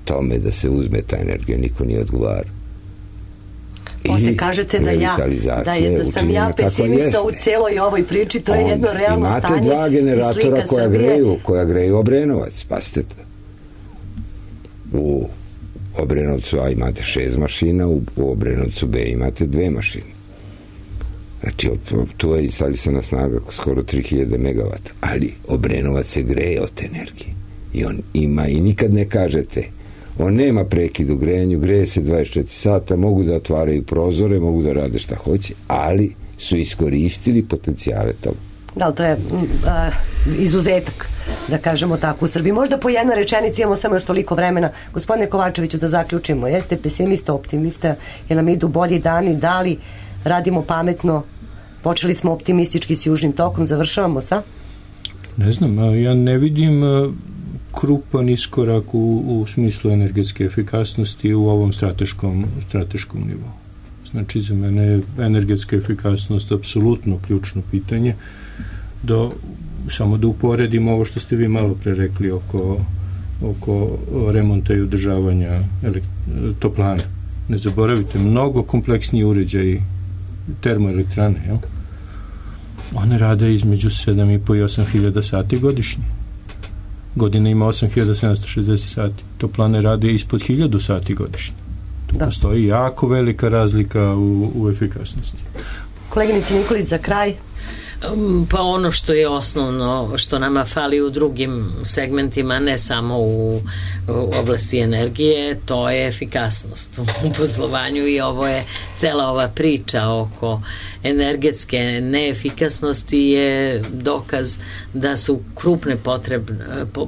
Speaker 7: tome da se uzme ta energija, niko nije odgovarao.
Speaker 5: Posle kažete da sam ja pesimista u celoj ovoj priči, to je jedno realno stanje.
Speaker 7: Imate dva generatora koja greju Obrenovac, pazite to. U Obrenovcu A imate 6 mašina, u Obrenovcu B imate 2 mašine. Znači, tu je instalisana snaga skoro 3000 megavata, ali Obrenovac se greje od te energije. I on ima, i nikad ne kažete, on nema prekid u grejanju, greje se 24 sata, mogu da otvaraju prozore, mogu da rade šta hoće, ali su iskoristili potencijale toga.
Speaker 5: Da, to je izuzetak, da kažemo tako, u Srbiji. Možda po jedna rečenica, imamo samo još toliko vremena. Gospodine Kovačeviću, da zaključimo. Jeste pesimista, optimista, jer nam idu bolji dani, da li radimo pametno, počeli smo optimistički s Južnim tokom, završavamo sa?
Speaker 8: Ne znam, ja ne vidim krupan iskorak u smislu energetske efikasnosti u ovom strateškom nivou. Znači, za mene je energetska efikasnost apsolutno ključno pitanje. samo da uporedimo ovo što ste vi malo pre rekli oko remonta i održavanja toplana. Ne zaboravite, mnogo kompleksniji uređaji termoelektrane, jel? One rade između 7.500 i 8.000 sati godišnje. Godina ima 8.760 sati. Toplane rade ispod 1.000 sati godišnje. Tu postoji jako velika razlika u efikasnosti.
Speaker 5: Koleginice Nikolić, za kraj?
Speaker 2: Pa ono što je osnovno, što nama fali u drugim segmentima, ne samo u oblasti energije, to je efikasnost u poslovanju i ovo je cela ova priča oko energetske neefikasnosti je dokaz da su krupne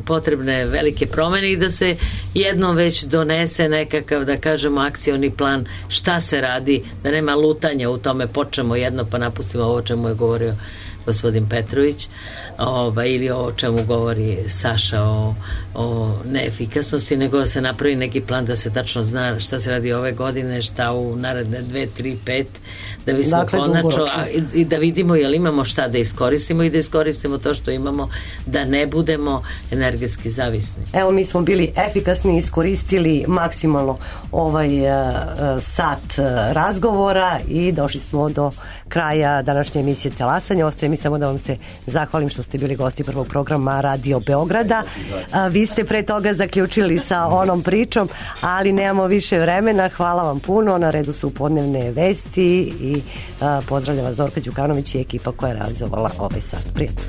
Speaker 2: potrebne velike promene i da se jednom već donese nekakav, da kažemo, akcioni plan šta se radi, da nema lutanja u tome, počnemo jedno pa napustimo ovo čemu je govorio gospodin Petrović, ili o čemu govori Saša o neefikasnosti, nego da se napravi neki plan da se tačno zna šta se radi ove godine, šta u naredne 2, 3, 5, da bismo konačno i da vidimo jel imamo šta da iskoristimo i da iskoristimo to što imamo, da ne budemo energetski zavisni.
Speaker 5: Evo, mi smo bili efikasni, iskoristili maksimalno ovaj sat razgovora i došli smo do kraja današnje emisije Talasanje. Ostaje mi samo da vam se zahvalim što ste bili gosti prvog programa Radio Beograda. Vi ste pre toga zaključili sa onom pričom, ali nemamo više vremena. Hvala vam puno. Na redu su podnevne vesti i pozdravljam vas Zorka Đukanović i ekipa koja je realizovala ovaj sat. Prijatno.